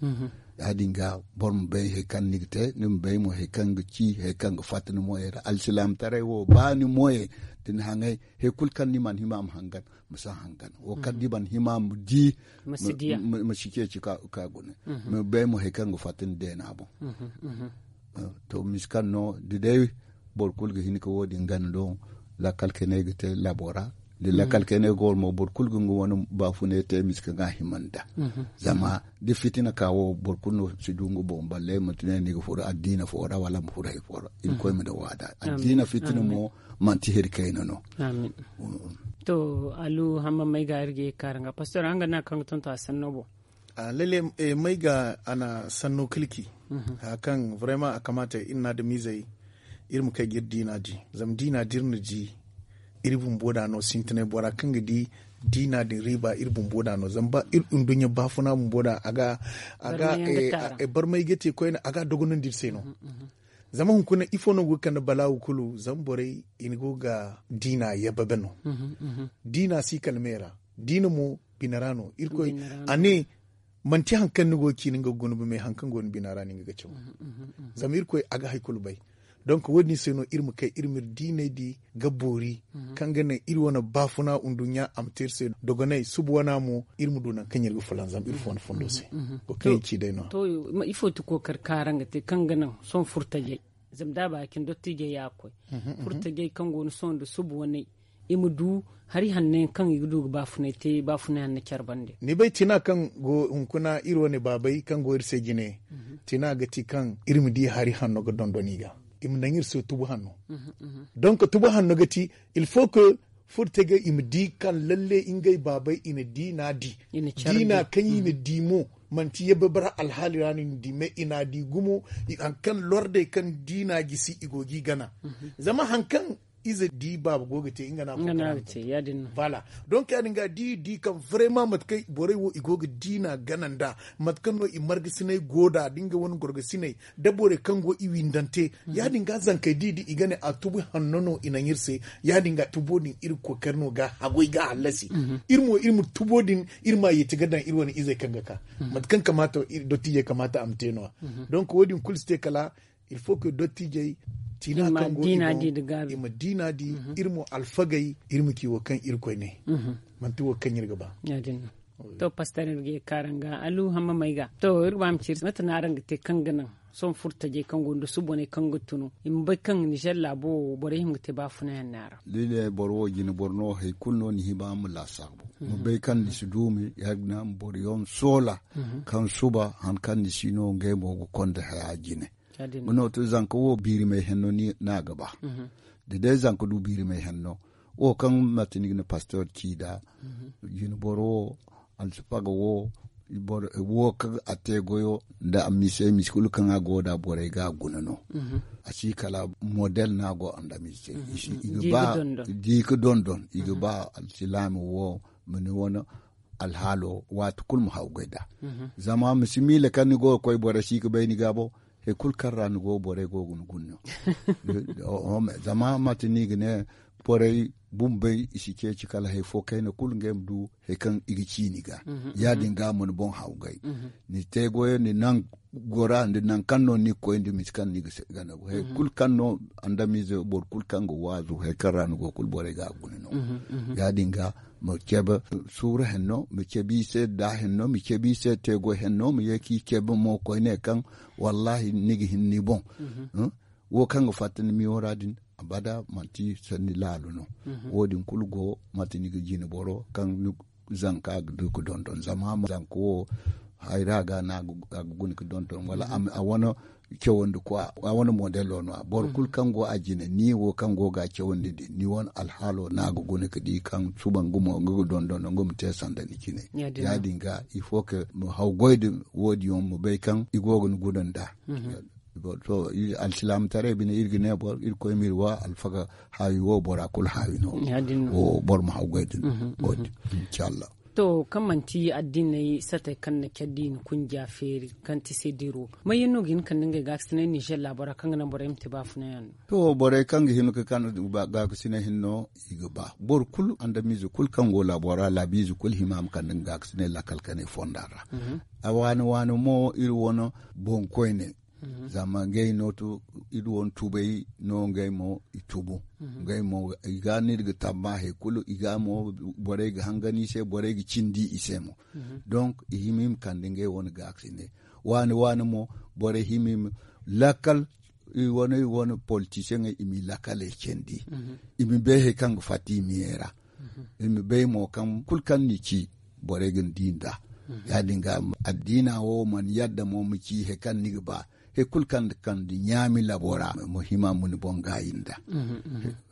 Ya- din ga boro ma bay hari kaŋ ni ga te ni ma bay mo hari kaŋ ga ci hari kaŋ ga fatta ni moyey ra alsilaamataray wo ba ni moyey da ni haŋay hari kulu kaŋ ni mana hima ma hangan ma si hangan wo kaŋ ni mana hima ma di ma si ceeci ka gune. Ma bay mo hari kaŋ ga fatta ni deena boŋ. To misi kaŋ no da day boro kulu ga hin ka wo- din gana do lakkal kayney ga te labo ra da lakkal kayney ga war mo boro kulu ga nga wane baafunay te misi kaŋ ga hima nda. Zama da fitina ka wo boro kulu no si du nga boŋ balle manti ne ni ga furo addiina fo ra wala ma furo hari fo ra irkoy ma da waada addiina fitina mo manti hari kayna no. To alu hamma may ga iri ga ye ga kaara nga pastor araŋ ga naŋ kaŋ ga tonton a sanno boŋ. Lalle may ga a na sanno kilki haya kaŋ vraiment a kamaata iri na adamizey iri ma kay ga iri diina di. Zama diina da iri na di iri bumbo da no sintinay bora kaŋ ga di diina din riiba iri bumbo da no zama ba iri nduɲɲa baafuna bumbo da a ga a ga barmay ga te koyne a ga a dogonandi iri se no. Zama hunkuna ifo no go ga kande balaawu kulu zama borey i na go ga diina yababe no. Diina si kala me ra diina mo bine ra no irkoy a ne manti hari kaŋ ni go ga ci ni nga ga gunbu me hari kaŋ go ni bina ra no ni ga ga caw. Zama irkoy a ga hari kulu bay. Donk wo- din se no iri ma kay iri ma iri diinay di ga boori kaŋ ga naŋ iri wane baafuna nduɲɲa a ma te iri se dogonay suba wana mo iri ma du nangu kaŋ iri ga fulanzam iri fo wane fondo se. Wo kaŋ iri ci day no. To ifo ti kookari kaara nga te kaŋ ga naŋ sohõ furtajey zama da a ba ya cine dottiijey ya ga koy furtajey kaŋ go ni sohõ nda suba waney i ma du hari hanno yaŋ kaŋ i ga du ga baafunay te baafunay hanno care bande. Ni bay tina kaŋ go hunkuna iri wane baabey kaŋ go iri se jine tina ga ti kaŋ iri ma di hari hanno ga dondon i ga i ma naŋ iri se tubu hanno. Donk tubu hanno ga ti il faut que furtajey i ma di kaŋ lalle ngey baabey i na diina di diina kaŋ i na di mo manti yabba bara alhaali ra no i na di mais i na di gumo hari kaŋ lordey kaŋ diina gisi i go ga i gana. Zama hari kaŋ ize di baaba go ga te nga no a go ga te. Voilà. Donc ya- din ga di di kaŋ vraiment mate kaŋ borey wo i go ga diina gana nd'a, mate kaŋ no i margasinay go nd'a da nga wane gorgasinay da borey kaŋ go i windante. Ya- din ga zankey di di i ga ne a tubu hanno no i naŋ iri se. Ya- din ga tubo din iri kookari no ga hagoy ga hallasi. Iri mo iri ma tubo din iri ma a yeeti ga daŋ iri wane izey kaŋ ga ka. Mate kaŋ kamaata dottijey kamaata a ma te no- ya. Donc wo- din kulu si te kala il faut que dottijey tiina kaŋ go i boŋ i ma diina di. Iri mo alfagey iri ma ci wo kaŋ iri koy ne, manti wo kaŋ iri ga ba. To pastor iri ga ye kaaraŋ ga alu hamma may ga to iri ga ba ma ci iri mate no araŋ ga te kaŋ ga naŋ sohõ furtajey kaŋ go nda suboney kaŋ ga tunu i ma bay kaŋ nizer laabo wo borey hima ga te baafunayaŋ ne a ra. Lile boro wo jine boro no hari kulu no ni hima ma laasaabu ma bay kaŋ ni si duumi ya- din a ma boro yaŋ soola kaŋ suba han kaŋ ni si no ngey mo ga konda haya jine. Nga no to zanka wo biirimay henno no a ga ba. Da day zanka du biirimay henno wo kaŋ mate ni ga ne pastor ci nd'a, jine boro wo alsifaga wo wo kaŋ a te goyo nda a mise mise kulu kaŋ a go nd'a borey ga a guna no. A si kala model no a go a nda mise i ga ba di ga dondon i ga ba alsilaami wo ma ni wane alhaalo waati kulu ma haw goy nd'a. Zama ma si miila kaŋ ni go ga koy boro si ga bay ni ga bo hari kulu kaŋ ra ni go borey go ga ni guna no. Zama mate no i ga ne borey bumbey i si ceeci kala hari fo kayna kulu ngey ma du hari kaŋ i ga ci ni ga. Ya- din ga ma ni boŋ haw gay ni te goyo ni naŋ gora nda naŋ kaŋ no ni ga koy nda misi kaŋ ni ga gana hari kulu kaŋ no andamize boro kulu kaŋ ga waazu hari kaŋ ra ni go kulu borey ga a guna no. Ya- din ga ma cabe suuru henno ma cabe i se da henno ma cabe i se teego henno ma ye ka i cabe mo koyne kaŋ wallahi ni ga hin ni boŋ. Wo kaŋ ga fatta ni miyo ra din abada manti sanni laalu no. Wo- din kulu go mate ni ga jine boro kaŋ ni zanka ga du ga dondon zama zanka wo hayra ga no a ga guna ga dondon wala a wane cawandi kwa a wane modelo no- ya boro kulu kaŋ go a jine ni wo kaŋ go ga a cawandi din ni wane alhaalo no a ga guna ga di kaŋ suba nga mo nga ga dondon nga ma te sanda ni cine. Ya- din ga il faut que ma haw goy din wo- din yaŋ ma bay kaŋ i go ga ni guna nd'a. To alsilaamataray bine iri ga ne boro irkoy ma iri wa alfaga haawi wo bora kulu haawi no. Wo boro ma haw goy din wo- din inshallah. To kaŋ manti addiney satey kaŋ na care da i na kunja feeri kaŋ ti se diro may yaŋ no ga hin kande ngey gaakasinay nizer laabo ra kaŋ ga naŋ borey ma te baafunayaŋ no? To borey kaŋ ga hin ga kande gaakasinay hinne no i ga ba boro kulu andamiize kulu kaŋ go laabo ra laabiize kulu hima ma kande nga gaakasinay lakkal kanay fonda ra. A waani waani mo iri wane boŋkoyney zama ngey no to iri wane tubay no ngey mo i tubu. Ngey mo i ga no iri ga tamba hari kulu i ga mo borey ga hangan i se borey ga cindi i se mo. Donc i hima i ma kande ngey wane gaakasinay waani waani mo borey hima i ma lakkal i wane i wane politisiyeŋey i ma i lakkaley candi. I ma bay hari kaŋ ga fatta i miyey ra. I ma bay mo kaŋ kulu kaŋ ni ci borey ga ni di nd'a. Ya- din ga addiina wo mana yadda mo ma ci hari kaŋ ni ga ba hari kulu kaŋ ga kande ɲaami labo ra ma hima ma ni boŋ gaayi nd'a.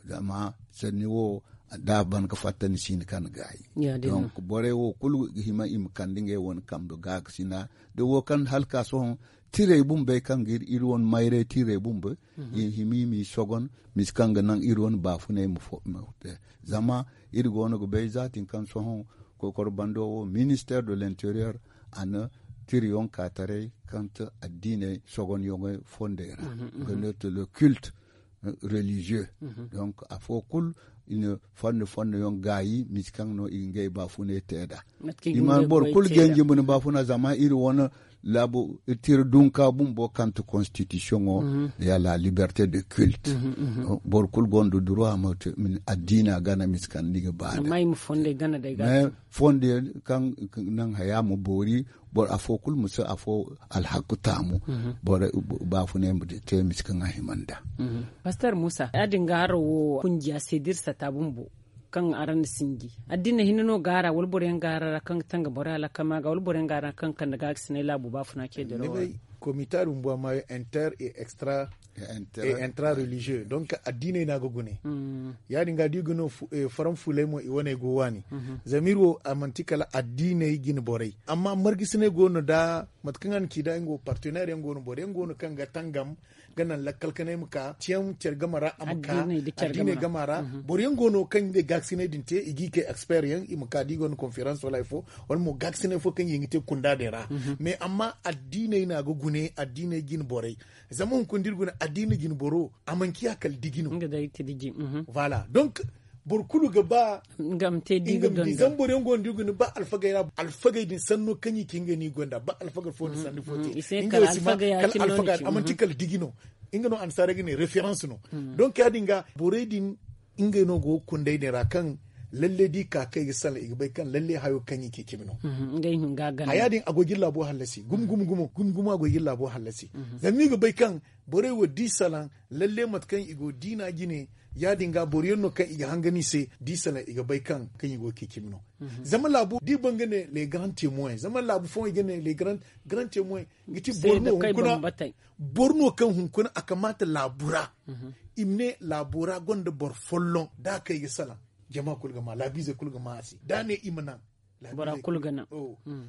Zama sanni wo da a ban ga fatta ni si ni kaŋ gaayi. Donc borey wo kulu ga hima i ma kande ngey wane kambe gaakasina da wo kaŋ hala ka sohõ tirey bumbey kaŋ ga iri wane mayray tirey bumbo i hima i m'i sogon misi kaŋ ga naŋ iri wane baafuney ma te. Zama iri go no ga bay za tin kaŋ sohõ kokoro bando wo minister de l'interieur a na tiriyoŋ ka taray kaŋ ti addiiney sogonyoŋey fondey ra ga no ti le culte religieux. Donc afo kulu i na fonda fonda yaŋ gaayi misi kaŋ no i ga ngey baafuney te nd'a. I mana boro kulu ganji ma ni baafuna zama iri wane laabu tira dunka bumbo kaŋ ti constitution wo ya la liberté de culte. Boro kulu gonda droit ma addiina gana misi kaŋ ni ga ba da fondey kaŋ naŋ haya ma boori boro afo kulu ma si afo alhakku taamu. Boro baafunay ma te misi kaŋ a hima nd'a. Pastor musa ya- din ga haro wo kunjiya se da iri sata bumbo kaŋ araŋ na sinji addiina hinne no ga a ra wala boro yaŋ ga a ra kaŋ ga tanga boro alakama ga wala boro yaŋ ga a ra kaŋ ga kande gaakasinay laabu baafuna ce dirawo ra? Komita din bumbo a maayo inter et extra Et intra religieux, donc addiiney no a ga gune. Ya- din ga da i ga no faranfuuley mo i wane go waani. Zama iri wo a manti kala addiiney jine borey, amma margasiney go no da mate kaŋ a na ci da nga wo partenaire yaŋ go no boro yaŋ go no kaŋ ga tangam ga naŋ lakkal kanay ma ka ciyaŋ care game ra a ma ka addiiney game ra. Boro yaŋ go no kaŋ ga gaakasiney din te i ga i kay expert yaŋ i ma ka da i gonda conférence wala hari fo, wala mo gaakasiney fo kaŋ yaŋ ga te kunda din ra. Mais amma addiiney no a ga gune addiiney jine borey. Zama hunkuna da iri guna addiina jine boro a mana ciya kala diji no. Voilà. Donc boro kulu ga ba nga ma te di ga donda. Zama boro yaŋ go no da iri guna ba alfagey ra alfagey din sanno kaŋ i ci nga no i gonda ba alfaga fo din sanni fo te. Nga wo si ma kala alfaga a mana ti kala diji no. Nga no annasaarey ga ne référence no. Donc ya- din ga borey din ngey no go ga kundey din ra kaŋ lalle da i ka kaŋ i ga salaŋ i ga bay kaŋ lalle hayo kaŋ i ci cimi no. Haya din a go ga iri laabo hallasi gumo gumo gumo gumo gumo a go ga iri laabo hallasi. Zama i ga bay kaŋ borey wo da i salaŋ lalle mate kaŋ i go diina jine ya- din ga boro yaŋ no kaŋ i ga hangan i se da i salaŋ i ga bay kaŋ kaŋ i go ga ci cimi no. Zama laabu da i ban ga ne les grands témoins zama laabu fooyaŋ i ga ne les grands témoins ga ci boro no hunkuna boro no kaŋ hunkuna a kamaata laabu ra. I ma ne laabo ra gonda boro folloŋ da a kaŋ i ga salaŋ jama kulu ga ma laabiizey kulu ga ma a se da a ne i ma naŋ. Bora kulu ga naŋ.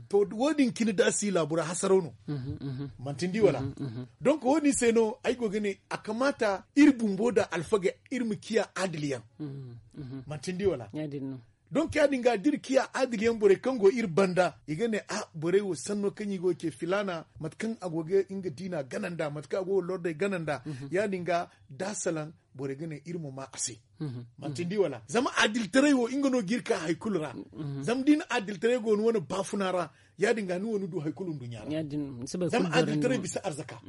To wo- din cine da a si laabo ra hasaraw no. Manti ni di wala? Donc wo- din se no ay go ga ne a kamaata iri bumbo nda alfagey iri ma ciya adil yaŋ. Manti ni di wala? Donc ya- din ga da iri ciya adil yaŋ borey kaŋ go iri banda i ga ne a borey wo sanno kaŋ i go ga ce filaana mate kaŋ a go ga nga diina gana nd'a mate kaŋ a go ga lordey gana nd'a. Ya- din ga da a salaŋ borey ga ne iri ma ma a se. Manti ni di wala? Zama adiltaray wo nga no ga iri ka hari kulu ra. Zama da i na adiltaray go ni wane baafuna ra ya- din ga ni wo ni du hari kulu nduɲɲa ra. Zama adiltaray bisa arzaka.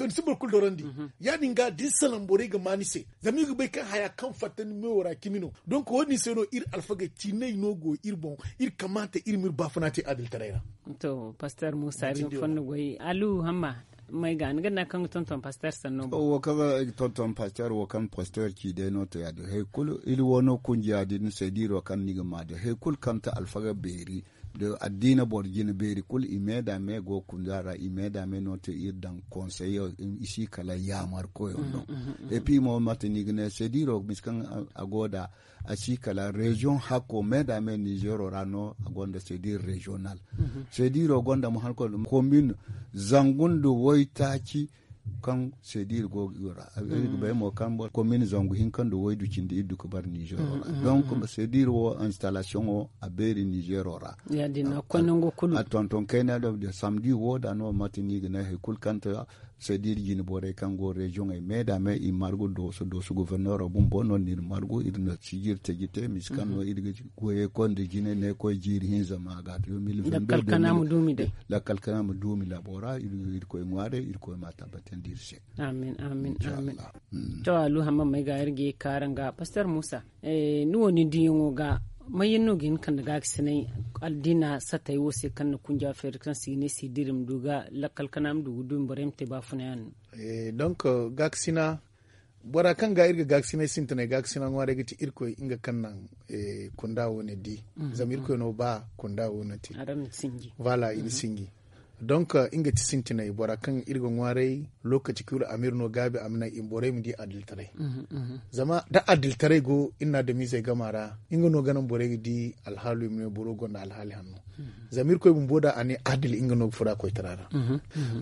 Ni si boro kulu doorandi mo. Ya- din ga da ni salaŋ borey ga ma ni se zama i ga bay kaŋ haya kaŋ fatta ni meewo ra cimi no. Donc wo- din se no iri alfagey ciinay no go iri boŋ. Iri kamaata iri ma iri baafuna te adiltaray ra. To pastor muusa iri ma fonda goy alu hamma. May ga ni ga naŋ kaŋ ga tonton pastor sanno boŋ. Wo kaŋ ga tonton pastor wo kaŋ pastor ci day no to ya- din hari kulu iri wo no kunjiya din se da iri wo kaŋ ni ga ma din hari kulu kaŋ ti alfaga beeri. Da addiina boro jine beeri kulu i me da me go ga kunda ra i me da me no te iri daŋ konsey i si kala yaamar koyo no. Et puis mo mate ni ga ne se da iri wo bisa kaŋ a go da a si kala reziyoŋ hakko me da me nizero ra no a gonda se da iri reziyonal. Se da iri wo gonda mo hari koy komin zangu nda waytaaci kaŋ se da iri go ga iri ra iri ga bay mo kaŋ komin zangu hinka nda waydu cindi iri du ga bara nizer ra. Donc se da iri wo instalasiyoŋo a beeri nizer ra. A tonton kayna do samdi wo da no mate no i ga ne hari kulu kaŋ te se da iri jine borey kaŋ go reziyoŋey me da me i margu dooso dooso goforneero bumbo no no iri margu iri na sijiri taji te misi kaŋ no iri ga goyey koy nda jine ne koy jiiri hinza ma ga lakkal kana ma duumi labo ra iri koy ŋwaarey iri koy ma tabbatandi iri se. Amin amin amin. To alu hamma may ga iri ga ye kaara nga pastor muusa. Ni wo ni diyaŋo ga may yaŋ no ga hin kande ga ga sinay addiina satay wo se kaŋ na kunja feeri kaŋ se i ne se diri ma du ga lakkal kana ma du ga duumi borey ma te baafuna yaŋ no. Donc gaakasina bora kaŋ ga iri ga gaakasinay sintinay gaakasina ŋwaaray ga ti irkoy nga kaŋ naŋ kunda wo ne di. Zama irkoy no ba kunda wo ne te. Voilà i na sinji. Donc nga ti sintinay bora kaŋ iri ga ŋwaaray lokaci kulu a ma iri no gaabi a ma naŋ i ma borey ma di adilitaray. Zama da adilitaray go iri na adamizey gama ra nga no ga naŋ borey ga di alhaalu i ma ne boro gonda alhaali hanno. Zama irkoy bumbo da a ne adil nga no ga fura koytara ra.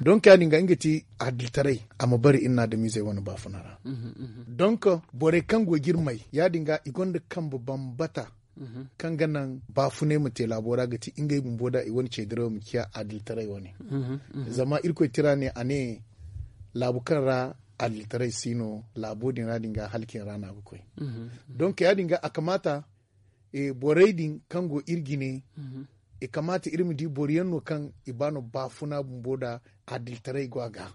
Donc ya- din ga nga ti adilitaray a ma bari iri na adamizey wane baafuna ra. Donc borey kaŋ go ga iri may ya- din ga i gonda kambe bambata kaŋ ga naŋ baafunay ma te laabo ra ga ti ngey bumbo da i wane ceediraw ma ciya adilitaray wane. Zama irkoy tira ne a ne laabu kaŋ ra adilitaray si no laabo din ra din ga halcin ra no a ga koy. Donc ya- din ga a kamaata borey din kaŋ go iri jine i kamaata iri ma di boro yaŋ no kaŋ i ba no baafuna bumbo da adilitaray go a ga.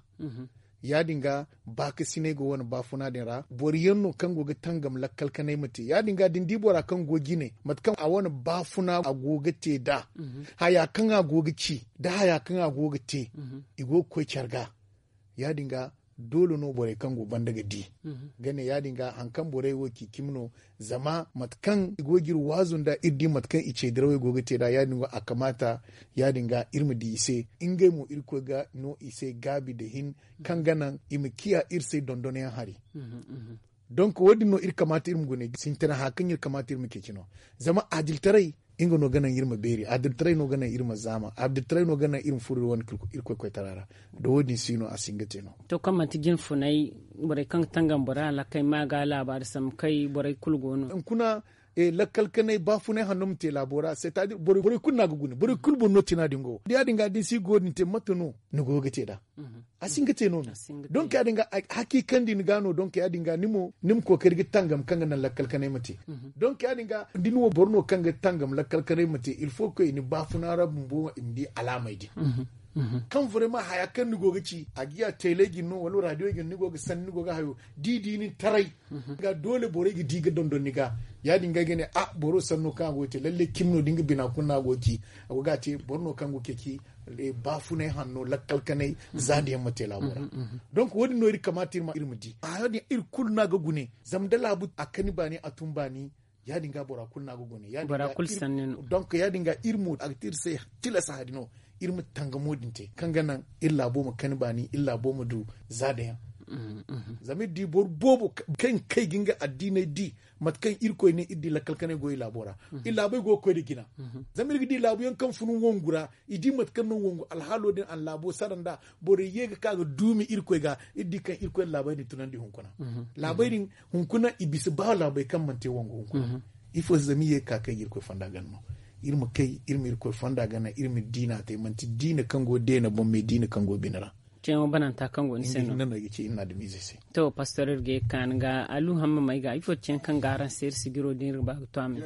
Ya- din ga baakasinay go wane baafuna din ra boro yaŋ no kaŋ go ga tangam lakkal kanay ma te ya- din ga da ni di bora kaŋ go jine mate kaŋ a wane baafuna a go ga te nd'a haya kaŋ a go ga ci nda haya kaŋ a go ga te i go ga koy care ga. Ya- din ga Doole no borey kaŋ go banda ga di ga ne ya- din ga hari kaŋ borey wo ci cimi no. Zama mate kaŋ i go ga iri waazu nd'a iri di mate kaŋ i ce dirawey go ga te nd'a ya- din go a kamaata ya- din ga iri ma di i se. Ngey mo irkoy ga no i se gaabi nda hin kaŋ ga naŋ i ma ciya iri se dondonyaŋ hari. Donk wo- din no iri kamaata iri ma gune sintina haya kaŋ iri kamaata iri ma ceeci no. Zama adiltaray nga no ga naŋ iri ma beeri adiltaray no ga naŋ iri ma zaama adiltaray no ga naŋ iri ma furo iri wane irkoy koytara ra. Da wo- din si no a si hin ga te no. To kaŋ manti jinfunay borey kaŋ ga tangam bora laakay ma ga laabaari sambu kay borey kulu go no. Hunkuna lakkal kanay baafunay hanno ma te laabo ra c'est à dire borey kulu no a ga gune borey kulu boŋ no tina din go ya- din ga da ni si go din te mate no ni go ga te nd'a. A si hin ga te no no. Donk ya- din ga hakiikandi ni ga no donk ya- din ga ni mo ni ma kookari ga tangam kaŋ ga naŋ lakkal kanay ma te. Donk ya- din ga da ni wo boro no kaŋ ga tangam lakkal kanay ma te il faut que i ni baafuna ra bumbo i ma di alaamey din kaŋ vraiment haya kaŋ ni go ga ci a ga ya teeley din no wala raadiyey din ni go ga sanni ni go ga hayo da i di nin taray. Ga doole borey ga di ga dondon ni ga ya- din ga ay ga ne a boro sanno kaŋ a go ga te lalle cimi no da nga bina kuna a go ga ci a go ga a te boro no kaŋ go ga ceeci baafunay hanno lakkal kanay za nda yaŋ ma te laabo ra. Donk wo- din no iri kamaata iri ma di a ya- din iri kulu no a ga gune zama da laabu a kani baani a tun baani. Ya- din ga bora kulu no a ga gune ya- din ga iri mo a ga te iri se tilas hari no iri ma tangamo din te kaŋ ga naŋ iri laabo ma kani baani iri laabo ma du za nda yaŋ. Zama iri di boro boobo kaŋ kay ga nga addiinay di mate kaŋ irkoy ne iri di lakkal kanay go i laabo ra. I laabey go ga koy nda jina. Zama iri ga di laabu yaŋ kaŋ fun wangu ra i di mate kaŋ no wangu alhaalo din a na laabo sara nd'a. Borey ye ga ka ga duumi irkoy ga iri di kaŋ irkoy na laabey din tunandi hunkuna. Laabey din hunkuna i bisa ba laabey kaŋ mana te wangu hunkuna. Ifo se zama iri ye ga ka kay ga irkoy fonda gana no. Iri ma kay iri ma irkoy fonda gana iri ma diina te manti diina kaŋ go deena boŋ me diina kaŋ go bine ra. Ceeyaŋo bananta kaŋ go ni se no. Iri ga ci iri na adamiizey se. To pastor iri ga ye ga ka ni ga alu hamma may ga ifo ceeyaŋ kaŋ ga araŋ se iri sijiro din iri ga ba ga to a me.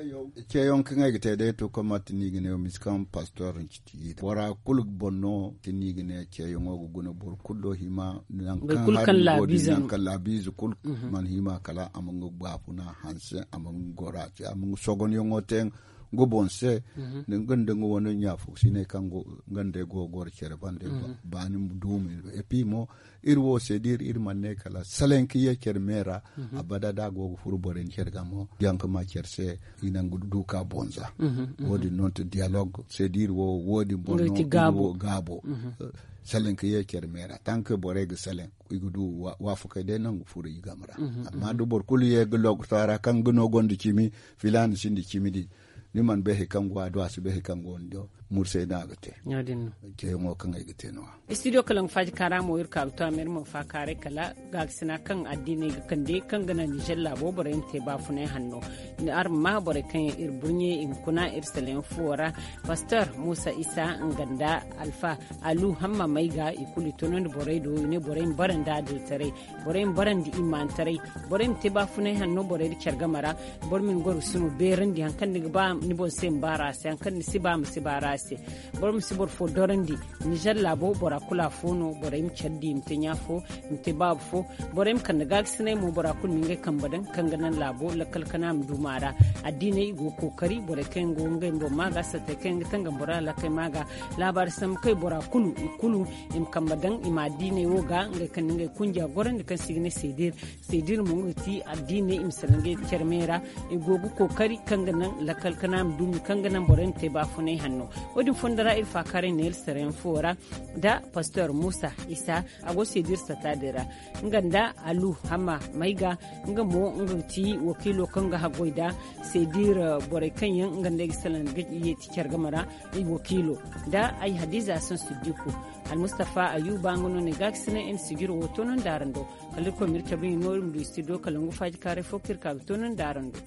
Ceeyaŋ kaŋ ay ga te day to kaŋ manti ni ga ne wo misi kaŋ pastor ni ci ti bora kulu boŋ no ti ni ga ne ceeyaŋo ga guna boro kulu do hima nangu kaŋ hari ni go din nangu kaŋ laabiize kulu mana hima kala a ma nga baafuna hanse a ma nga gora ce a ma nga sogonyaŋo te nga boŋ se. Nga nda nga wane ɲaafo si ne kaŋ nga nda ay go ga goro care bande baani duumi. Epi mo iri wo se da iri iri mana ne kala salaŋ ka ye care me ra. Abada da a go ga furo borey ni care ga mo yaŋ ka ma care se i nangu du ka bonza. Wo- din no ti diyalog se da iri wo wo- din boŋ no iri wo gaabo. Salaŋ ka ye care me ra tank borey ga salaŋ i ga du waafakey day nangu furo i game ra. Amma da boro kulu ye ga logota ra kaŋ ga no gonda cimi filaana sinda cimi din ni mana bay hari kaŋ go a do a si bay hari kaŋ go ni do. Mursay no a ga te. Ceeyaŋo kaŋ ay ga te no- ya. Studio kalaŋ faaji kaara mo iri ka ga to a ma iri mo faakaaray kala gaakasina kaŋ addiiney ga kande kaŋ ga naŋ nizer laabo borey ma te baafunay hanno. Araŋ ma borey kaŋ yaŋ iri burɲe i hunkuna iri salayaŋ fuwo ra. Pastor muusa isa nga nda alfa alu hamma may ga i kulu i tonandi borey do i ne borey ma bara nda adiltaray. Borey ma barandi imaantaray. Borey ma te baafunay hanno borey nda care game ra. Boro ma ni goro ga sino beerandi hari kaŋ ni ga ba ni boŋ se ma baara a se hari kaŋ ni si ba ma si baara a se. Boro ma si boro fo dorandi. Nizer laabo bora kulu afo no borey ma care di i ma te ɲa fo i ma te baaba fo. Borey ma kande gaagasinay mo bora kulu ma ngey kambe daŋ kaŋ ga naŋ laabo lakkal kana ma du maara. Addiiney i go ga kookari borey kaŋ yaŋ go ga ngey boŋ ma ga sattey kaŋ yaŋ ga tangam bora laakay ma ga. Laabaari sambu kay bora kulu i kulu i ma kambe daŋ i ma addiiney wo ga ngey kaŋ na ngey kunja gorandi kaŋ se i ga ne seedir. Seedir mo nga ga ti addiiney i ma salaŋ ngey care me ra. I go ga kookari kaŋ ga naŋ lakkal kana ma dumi kaŋ ga naŋ borey ma te baafunay hanno. Wo- din fondo ra iri faakaaray neera sarayaŋ fuwo ra nda pastor muusa isa a go seedir satta din ra. Nga nda alu hamma may ga nga mo nga ga ti wakiilo kaŋ ga haggoy nda seedir borey kaŋ yaŋ nga nda ay ga salaŋ ga yeeti care game ra. Ay wakiilo nda ay hadiza hasan siddiku. Almustafa ayuba nga no ne gaakasinay iri na sijiro wo toonandi araŋ do. Kala irkoy ma iri cabe iri no iri ma du studio kala ngu faaji kaaray fo kaŋ iri ka ga toonandi araŋ do.